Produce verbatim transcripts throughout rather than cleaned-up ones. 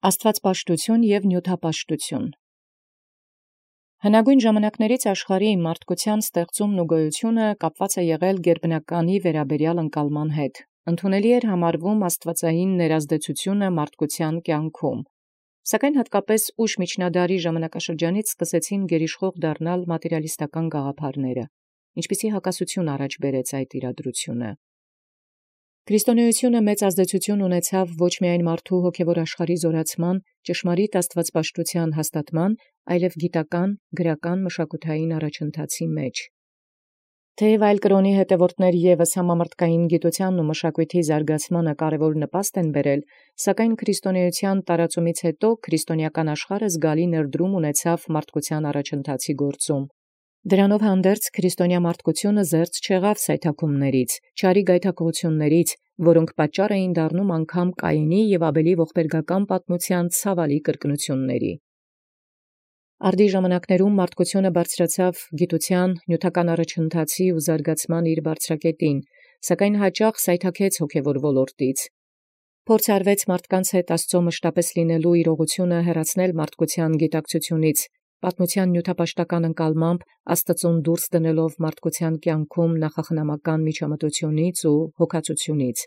Աստուածպաշտութիւն և նիւթապաշտութիւն։ Հնագոյն ժամանակաց աշխարհի մարդկութեան ստեղծումն ու գոյութիւնը կապեալ եղեալ գերբնականի վերաբերեալ ընկալման հետ. ընդունելի էր համարվում աստուածային ներազդեցութիւնը մարդկութեան կյանքում։ Սակայն հատկապես ուշ միջնադարի ժամանակաշրջանից սկսեցին գերիշխող դառնալ մատերիալիստական գաղափարները, ինչպիսի հակասութիւն առաջ բերեց այդ իրադրութիւնը։ Քրիստոնեությունը մեծ ազդեցութիւն ունեցավ ոչ միայն մարդու հոգևոր աշխարհի զորացման, ճշմարիտ աստուածպաշտութեան հաստատման, այլև գիտական, գրական, մշակութային առաջընթացի մեջ։ Թեև այլ կրոնի հետևորդներ ևս համամրդկային գիտութեանն ու մշակոյթի զարգացմանը կարևոր նպաստ են բերել, սակայն քրիստոնեության տարածումից հետո քրիստոնեական աշխարհը զգալի ներդրում ունեցավ մարդկութեան առաջընթացի գործում։ Դրանով հանդերձ քրիստոնյա մարդկութիւնը զերծ չեղավ սայթաքումացն, չարի գայթակղութիւնացն, որոնք պատճառ էին դառնում անգամ Կայենի և Աբելի ողբերգական պատմութեան ցաւալի կրկնութիւնացն։ Արդի ժամանակաց մարդկութիւնը բարձրացավ գիտութեան, նիւթական առաջընթացի ու զարգացման իր բարձրակետին, սակայն յաճախ սայթաքեց հոգևոր ոլորտից։ Փորձ արվեց մարդկանց հետ Աստուծոյ մշտապէս լինելու իրողութիւնը հեռացնել մարդկութեան գիտակցութիւնից, պատմութեան նիւթապաշտական ընկալմամբ Աստուծոյ դուրս դնելով մարդկութեան կյանքում նախախնամական միջամտութիւնից ու հոգածութիւնից։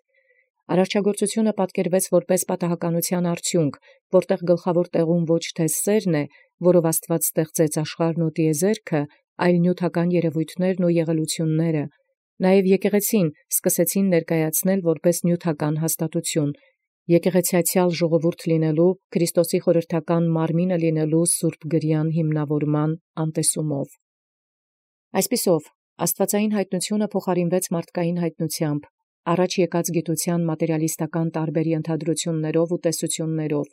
Արարչագործութիւնը պատկերվեց որպէս պատահականութեան արդիունք, որտեղ գլխաւոր տեղում ոչ թե սերն է, որով Աստուած ստեղծեց աշխարհն ու տիեզերքը, այլ նիւթական երևոյթներն ու եղելութիւնները, նաեւ եկեղեցին սկսեցին ներկայացնել որպէս նիւթական հաստատութիւն, եկեղեցեացեալ ժողովուրդ լինելու, Քրիստոսի խորհրդական մարմինը լինելու սուրբ գրեան հիմնաւորման անտեսումով։ Այսպիսով, աստուածային յայտնութիւնը փոխարինվեց մարդկային յայտնութեամբ, առաջ եկած գիտութեան մատերիալիստական տարբեր ենթադրութիւններով ու տեսութիւններով,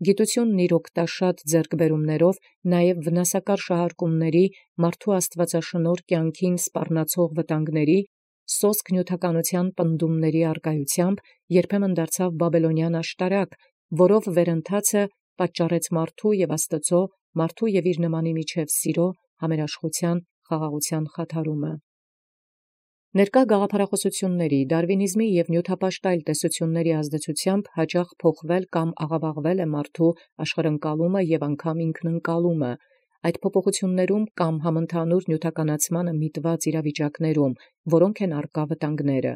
գիտութիւնն իր օգտաշատ ձեռքբերումներով նաեւ վնասակար շահարկումների, մարդու աստուածաշնորհ կյանքին սպառնացող վտանգների, սոսկ նիւթականութեան պնդումների արկայութեամբ երբեմն դարձավ բաբելոնեան աշտարակ, որով վերընթացը պատճառեց մարդու և Աստուծոյ, մարդու և իր նմանի միջև սիրո, համերաշխութեան, խաղաղութեան խաթարումը։ Ներկա գաղափարախօսությունների, դարվինիզմի և նիւթապաշտ այլ տեսութիւնների ազդեցութեամբ յաճախ փոխվել կամ աղաւաղվել է մարդու աշխարհընկալումը և անգամ ինքնընկալումը, այդ փոփոխութիւններում կամ համընդհանուր նիւթականացմանը միտված իրավիճակներում, որոնք են առկա վտանգները։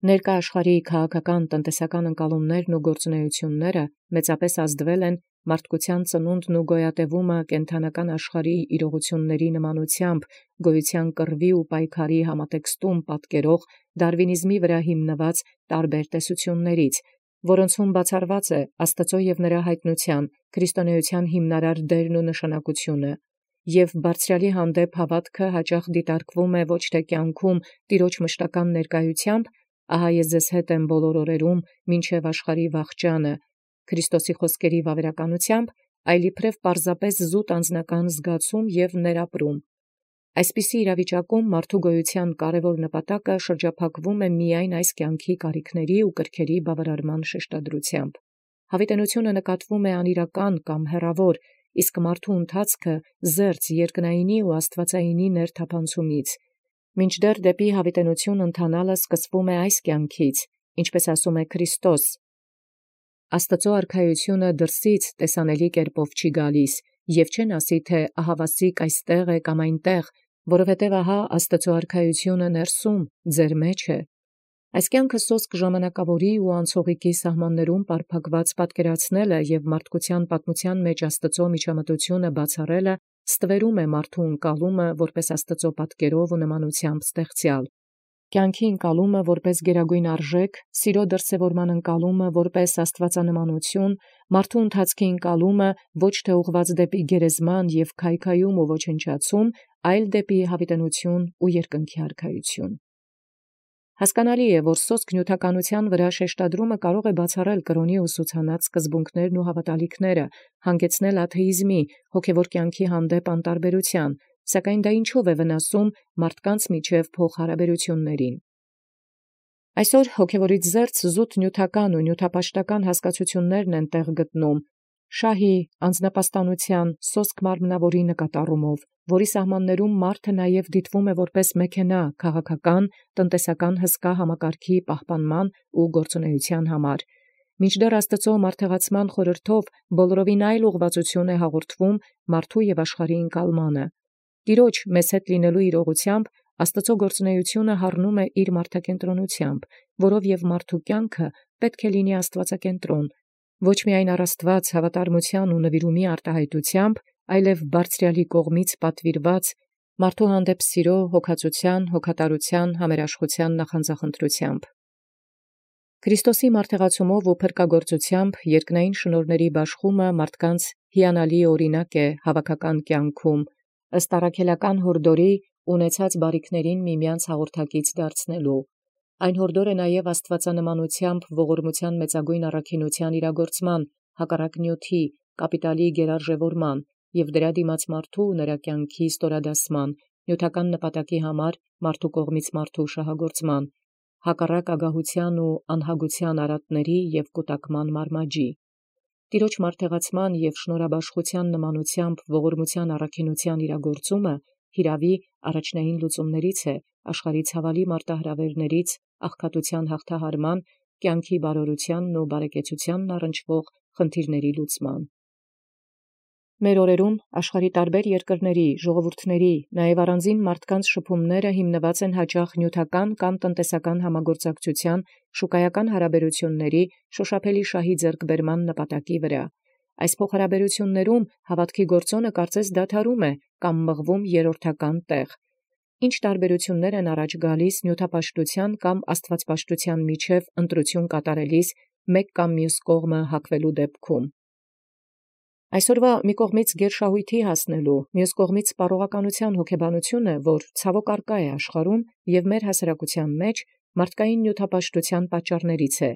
Ներկա աշխարհի քաղաքական, տնտեսական ընկալումներն ու գործունեութիւնները մեծապէս ազդվել են մարդկութեան ծնունդն ու գոյատևումը կենդանական աշխարհի իրողութիւնների նմանութեամբ գոյութեան կռվի ու պայքարի համատեքստում պատկերող դարվինիզմի վրա հիմնված տարբեր տեսութիւններից, որոնցում բացառված է Աստուծոյ և նրա յայտնութեան, քրիստոնեության հիմնարար դերն ու նշանակութիւնը, և բարձրեալի հանդեպ հաւատքը յաճախ դիտարկվում է ոչ թե կյանքում տիրոջ մշտական ներկայութեամբ, ահա ես ձեզ հետ եմ բոլոր օրերում մինչև աշխարհի վախճանը, Քրիստոսի խոսքերի վավերականութեամբ, այլ իբրև պարզապես զուտ անձնական զգացում և ներապրում։ Այսպիսի իրավիճակում մարդու գոյութեան կարևոր նպատակը շրջափակվում է միայն այս կյանքի կարիքների ու կրքերի բավարարման շեշտադրությամբ։ Յաւիտենությունը նկատվում է անիրական կամ հեռավոր, իսկ մարդու ընթացքը զերծ երկնայինի ու աստուածայինի ներթափանցումից, մինչդեռ դեպի յաւիտենություն ընթանալը սկսվում է այս կյանքից, ինչպէս ասում է Քրիստոս. «Աստուծոյ արքայութիւնը դրսից տեսանելի կերպով չի գալիս, և չեն ասի թէ ահավասիկ այստեղ է կամ այնտեղ, որովհետև ահա Աստուծոյ արքայութիւնը ներսում ձեր մեջ է»։ Այս կյանքը սոսկ ժամանակաւորի ու անցողիկի սահմաններում պարփակված պատկերացնելը և մարդկութեան պատմութեան մեջ Աստուծոյ միջամտութիւնը բացառելը ստվերում է մարդու ընկալումը որպէս Աստուծոյ պատկերով ու նմանութեամբ ստեղծեալ, կյանքի ընկալումը որպէս գերագոյն արժեք, սիրո դրսևորման ընկալումը որպէս աստուածանմանութիւն, մարդու ընթացքի ընկալումը ոչ թե ուղղված դեպի գերեզման և քայքայում ու ոչնչացում, այլ դեպի յաւիտենություն ու երկնքի արքայութիւն։ Հասկանալի է, որ սոսկ նիւթականութեան վրա շեշտադրումը կարող է բացառել կրոնի ուսուցանած սկզբունքներն ու հաւատալիքները, հանգեցնել աթեիզմի, հոգևոր կյանքի հանդեպ անտարբերութեան, սակայն դա ինչո՞վ է վնասում մարդկանց միջև փոխհարաբերութիւնացն։ Այսօր հոգևորից զերծ զուտ նիւթական ու նիւթապաշտական հասկացութիւններն են տեղ գտնում շահի, անձնապաստանութեան, սոսկ մարմնաւորի նկատառումով, որի սահմաններում մարդը նաև դիտվում է որպես մեքենա քաղաքական, տնտեսական հսկա համակարգի պահպանման ու գործունեության համար, Մինչդեռ Աստուծոյ մարդեղացման խորհրդով բոլորովին այլ ուղղվածություն է հաղորդվում մարդու և աշխարհի ընկալմանը։ Տիրոջ մեզ հետ լինելու իրողութեամբ Աստուծոյ գործունեությունը հառնում է իր մարդակենտրոնութեամբ, որով և մարդու կյանքը պետք է լինի աստուածակենտրոն, ոչ միայն առ Աստուած հավատարմութեան ու նվիրումի արտահայտութեամբ, այլև բարձրյալի կողմից պատվիրված մարդու հանդեպ սիրո, հոգածութեան, հոգատարութեան, համերաշխութեան նախանձախնդրութեամբ։ Քրիստոսի մարդեղացումով ու փրկագործութեամբ երկնային շնորհացն բաշխումը մարդկանց հիանալի օրինակ է հավաքական կյանքում, ըստ առաքելական յորդորի ունեցած բարիքներին միմյանց հաղորդակից դարձնելու։ Այն յորդոր է նաև աստուածանմանութեամբ ողորմութեան մեծագույն առաքինութեան իրագործման, հակառակ նյութի, կապիտալի գերարժևորման և դրա դիմաց մարդու նրա կյանքի ստորադասման, նյութական նպատակի համար մարդու կողմից մարդու շահագործման, հակառակ ագահութեան ու անհագութեան արատների և կուտակման մարմաջի։ Տիրոջ մարդեղացման և շնորհաբաշխութեան նմանութեամբ ողորմութեան առաքինութեան իրագործումը հիրավի առաջնային լուծումներից է աշխարհի ցավալի մարտահրավերներից աղքատութեան հաղթահարման, կյանքի բարօրութեանն ու բարեկեցութեանն առնչվող խնդիրների լուծման։ Մեր օրերում աշխարհի տարբեր երկրների, ժողովուրդների, նաև առանձին մարդկանց շփումները հիմնված են հաճախ նյութական կամ տնտեսական համագործակցութեան, շուկայական հարաբերությունների, շոշափելի շահի ձեռքբերման նպատակի վրա։ Այս փոխհարաբերություններում հաւատոքի գործոնը կարծես դադարում է կամ մղվում երրորդական տեղ։ Ինչ տարբերություններ են առաջ գալիս նյութապաշտութեան կամ աստուածպաշտութեան միջև ընտրություն կատարելիս մեկ կամ մյուս կողմը հակվելու դեպքում։ Այսօրվա մի կողմից գերշահույթի հասնելու, մյուս կողմից սպառողականութեան հոգեբանությունը, որ ցավոք առկա է աշխարհում և մեր հասարակութեան մեջ, մարդկային նյութապաշտութեան պատճառներից է։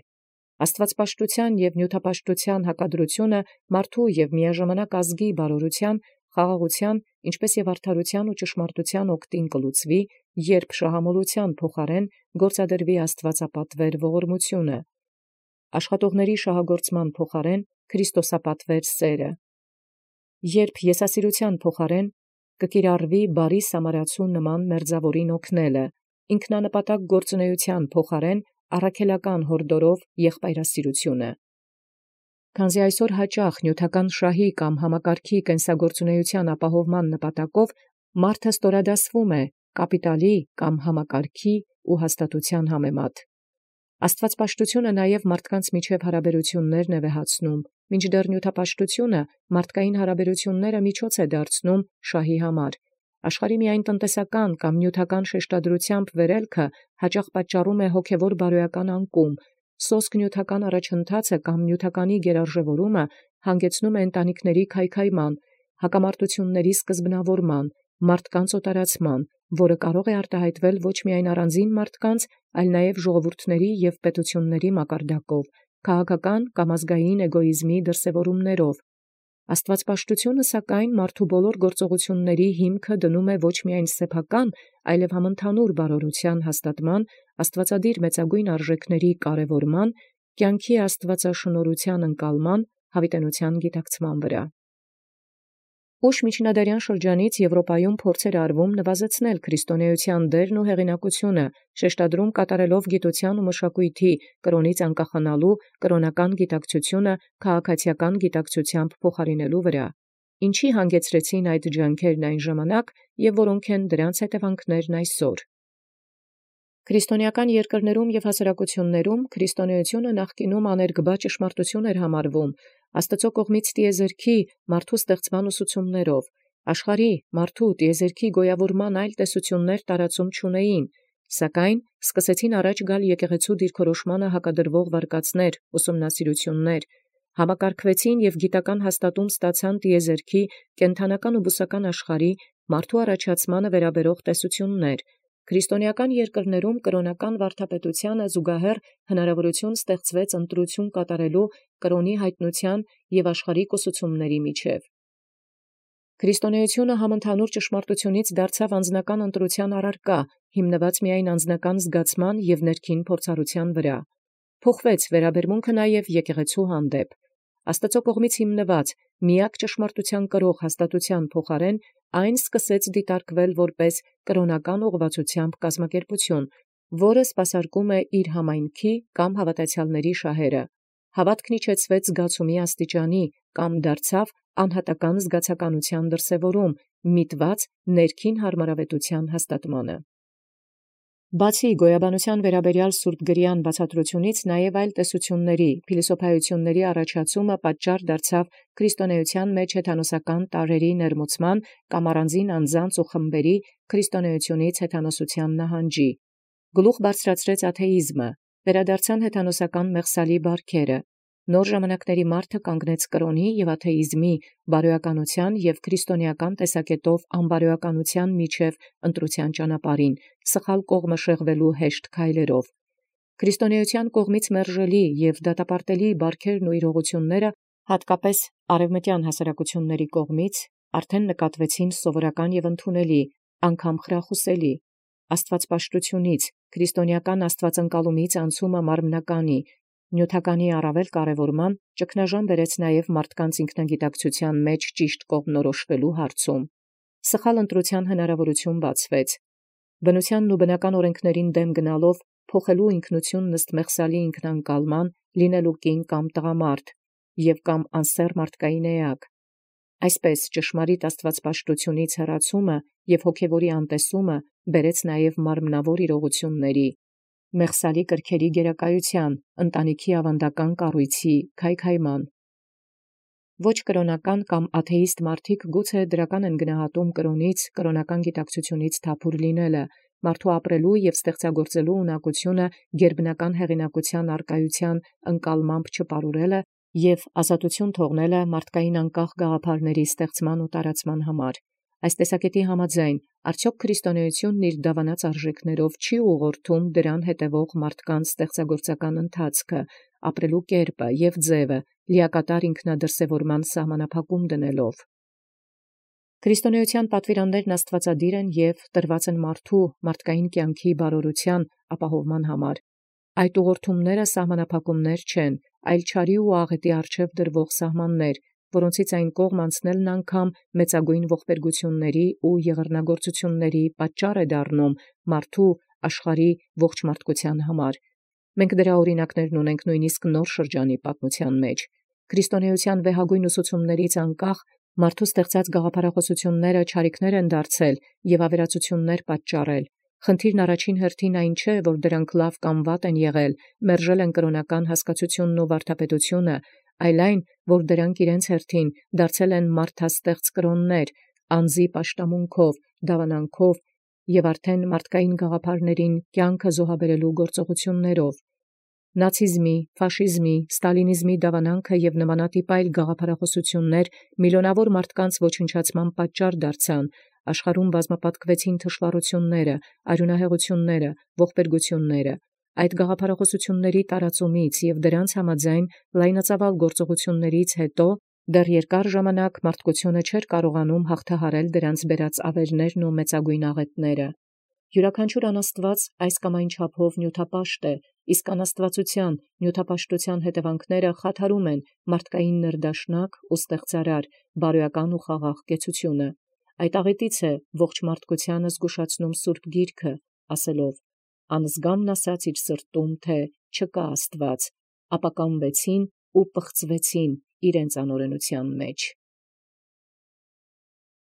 Աստուածպաշտութեան և նյութապաշտութեան հակադրությունը մարդու և միաժամանակ ազգի բարօրութեան, խաղաղութեան, ինչպէս և արդարութեան ու ճշմարտութեան օգտին կլուծվի, երբ շահամոլութեան փոխարեն գործադրվի աստուածապատվեր ողորմությունը, աշխատողների շահագործման փոխարեն քրիստոսապատվեր սերը, երբ եսասիրութեան փոխարեն կկիրառվի բարի սամարացու նման մերձաւորին օգնելը, ինքնանպատակ գործունեութեան փոխարեն առաքելական յորդորով եղբայրասիրությունը։ Քանզի այսօր հաճախ նյութական շահի կամ համակարգի կենսագործունեութեան ապահովման նպատակով մարդը ստորադասվում է կապիտալի կամ համակարգի ու հաստատութեան համեմատ։ Աստուածպաշտությունը նաև մարդկանց միջև հարաբերություններն է վեհացնում, մինչդեռ նյութապաշտությունը մարդկային հարաբերությունները միջոց է դարձնում շահի համար։ Աշխարհի միայն տնտեսական կամ նյութական շեշտադրութեամբ վերելքը հաճախ պատճառում է հոգևոր բարոյական անկում, սոսկ նյութական առաջընթացը կամ նյութականի գերարժևորումը հանգեցնում է ընտանիքների քայքայման, հակամարտությունների սկզբնավորման, մարդկանց օտարացման, որը կարող է արտահայտվել ոչ միայն առանձին մարդկանց, այլ նաև ժողովուրդների և պետությունների մակարդակով, քաղաքական կամ ազգային էգոիզմի դրսևորումներով։ Աստուածպաշտությունը սակայն մարդու բոլոր գործողությունների հիմքը դնում է ոչ միայն սեփական, այլև համընդհանուր բարօրութեան հաստատման, աստուածադիր մեծագույն արժեքների կարևորման, կյանքի աստուածաշնորհութեան ընկալման, յաւիտենիության գիտակցման վրա։ Ուշ միջնադարյան շրջանից Եվրոպայում փորձեր արվում նվազեցնել քրիստոնեության դերն ու հեղինակությունը, շեշտադրում կատարելով գիտութեան ու մշակույթի կրոնից անկախանալու, կրոնական գիտակցությունը քաղաքացիական գիտակցութեամբ փոխարինելու վրա, ինչի հանգեցրեցին այդ ջանքերն այն ժամանակ և որոնք են դրանց հետևանքներն այսօր։ Քրիստոնեական երկրներում և հասարակություններում քրիստոնեությունը նախկինում աներկբա ճշմարտություն էր համարվում, Աստուծոյ կողմից տիեզերքի մարդու ստեղծման ուսուցումներով, աշխարհի մարդու տիեզերքի գոյավորման այլ տեսություններ տարածում չունեին, սակայն սկսեցին առաջ գալ եկեղեցու դիրքորոշմանը հակադրվող վարկածներ, ուսումնասիրություններ, համակարգվեցին և գիտական հաստատում ստացան տիեզերքի, կենդանական ու բուսական աշխարհի, մարդու առաջացմանը վերաբերող տեսություններ։ Քրիստոնեական երկրներում կրոնական վարդապետութեանը զուգահեռ հնարավորություն ստեղծվեց ընտրություն կատարելու կրոնի հայտնութեան և աշխարհիկ ուսուցումների միջև։ Քրիստոնեությունը համընդհանուր ճշմարտությունից դարձավ անձնական ընտրութեան առարկա, հիմնված միայն անձնական զգացման և ներքին փորձառութեան վրա։ Փոխվեց վերաբերմունքը նաև եկեղեցու հանդեպ։ Աստուծոյ կողմից հիմնված միակ ճշմարտութեան կրող հաստատութեան փոխարեն այն սկսեց դիտարկվել որպես կրոնական ուղղվածությամբ կազմակերպություն, որը սպասարկում է իր համայնքի կամ հավատացյալների շահերը։ հաւատքն իջեցուեց զգացումի աստիճանի, կամ դարձավ անհատական զգացականութեան դրսևորում, միտված ներքին հարմարավետութեան հաստատմանը։ Բացի գոյաբանութեան վերաբերեալ սուրբ գրեան բացատրութիւնից, նաև այլ տեսութիւնների, փիլիսոփայութիւնների առաջացումը պատճառ դարձավ քրիստոնեության մեջ հեթանոսական տարրերի ներմուծման կամ առանձին անձանց ու խմբերի քրիստոնեությունից հեթանոսութեան նահանջի։ Գլուխ բարձրացրեց աթեիզմը, վերադարձան հեթանոսական մեղսալի բարքերը, նոր ժամանակների մարդը կանգնեց կրոնի և աթեիզմի, բարոյականութեան և քրիստոնեական տեսակետով անբարոյականութեան միջև ընտրութեան ճանապարհին, սխալ կողմը շեղվելու հեշտ քայլերով։ Քրիստոնեության կողմից մերժելի և դատապարտելի բարքերն ու իրողությունները, հատկապես արևմտյան հասարակությունների կողմից, արդեն նկատվեցին սովորական և ընդունելի, անգամ խրախուսելի, աստվածպաշտությունից, քրիստոնեական աստվածընկալումից անցումը մարմնականի, նյութականի առավել կարևորման, ճգնաժամ բերեց նաև մարդկանց ինքնագիտակցութեան մեջ ճիշտ կողմնորոշվելու հարցում։ Սխալ ընտրութեան հնարավորություն բացվեց։ Բնութեանն ու բնական օրենքներին դեմ գնալով փոխելու ինքնությունն ըստ մեղսալի ինքնանկալման, լինելու կին կամ տղամարդ, և կամ անսեռ մարդկային էակ։ Այսպես ճշմարիտ աստվածպաշտությունից հեռացումը և հոգևորի անտեսումը բերեց նաև մարմնավոր իրողությունների, մեղսալի կրքերի գերակայութեան, ընտանիքի ավանդական կառույցի քայքայման։ Ոչ կրոնական կամ աթեիստ մարդիկ գուցե դրական են գնահատում կրոնից, կրոնական գիտակցությունից թափուր լինելը, մարդու ապրելու և ստեղծագործելու ունակությունը գերբնական հեղինակութեան առկայութեան ընկալմամբ չպարուրելը և ազատություն թողնելը մարդկային անկախ գաղափարների ստեղծման ու տարածման համար։ Այս տեսակետի համաձայն, արդյոք քրիստոնեությունն իր դավանած արժեքներով չի ուղղորդում դրան հետևող մարդկանց ստեղծագործական ընթացքը, ապրելու կերպը և ձևը լիակատար ինքնադրսևորման սահմանափակում դնելով։ Քրիստոնեության պատվիրաններն աստվածադիր են և տրված են մարդու մարդկային կյանքի բարօրութեան ապահովման համար։ Այդ ուղղորդումները սահմանափակումներ չեն, այլ չարի ու աղետի առջև դրվող սահմաններ, որոնցից այն կողմ անցնելն անգամ մեծագույն ողբերգութիւնների ու եղեռնագործութիւնների պատճառ է դառնում մարդու աշխարհի ողջ մարդկութեան համար։ Մենք դրա օրինակներն ունենք նույնիսկ նոր շրջանի պատմութեան մեջ։ Քրիստոնեության վեհագույն ուսուցումներից անկախ մարդու ստեղծած գաղափարախոսությունները չարիքներ են դարձել և ավերածություններ պատճառել։ Խնդիրն առաջին հերթին այն չէ, որ դրանք լավ կամ վատ են եղել, մերժել են կրոնական հասկացությունն ու վարդապետությունը, այլ այն, որ դրանք իրենց հերթին դարձել են մարդաստեղծ կրոններ, անձի պաշտամունքով, դավանանքով և արդեն մարդկային գաղափարներին կյանքը զոհաբերելու գործողություններով։ Նացիզմի, ֆաշիզմի, ստալինիզմի դավանանքը և նմանատիպ այլ գաղափարախոսություններ միլիոնավոր մարդկանց ոչնչացման պատճառ դարձան, աշխարհում բազմապատկվեցին թշվառությունները, արյունահեղությունները, ողբերգությունները։ Այդ գաղափարախոսությունների տարածումից և դրանց համաձայն լայնածավալ գործողություններից հետո դեռ երկար ժամանակ մարդկությունը չէր կարողանում հաղթահարել դրանց բերած ավերներն ու մեծագույն աղետները։ Յուրաքանչյուր անաստված այս կամ այն չափով նյութապաշտ է, իսկ անաստվածության, նյութապաշտության հետևանքները խաթարում են մարդկային ներդաշնակ ու ստեղծարար, բարոյական ու խաղաղ կեցությունը։ Այդ աղետից է ողջ մարդկությանը զգուշացնում Սուրբ Գիրքը, ասելով. «Անզգամն ասաց իր սրտում, թե չկա Աստված, ապա կամվեցին ու պղծվեցին իրենց անօրենութեան մեջ»։